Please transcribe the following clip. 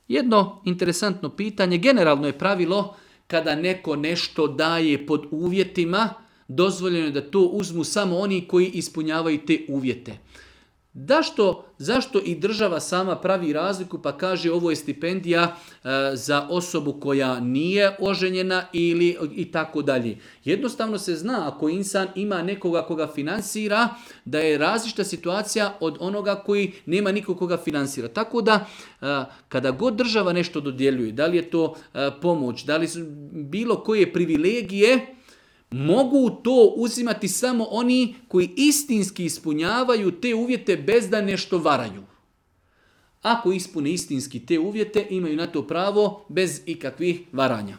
Jedno interesantno pitanje, generalno je pravilo kada neko nešto daje pod uvjetima, dozvoljeno je da to uzmu samo oni koji ispunjavaju te uvjete. Zašto i država sama pravi razliku pa kaže ovo je stipendija za osobu koja nije oženjena ili i tako dalje. Jednostavno se zna ako insan ima nekoga koga finansira da je različita situacija od onoga koji nema nikog koga finansira. Tako da kada god država nešto dodjeljuje, da li je to pomoć, da li su bilo koje privilegije, mogu to uzimati samo oni koji istinski ispunjavaju te uvjete bez da nešto varaju. Ako ispune istinski te uvjete, imaju na to pravo bez ikakvih varanja.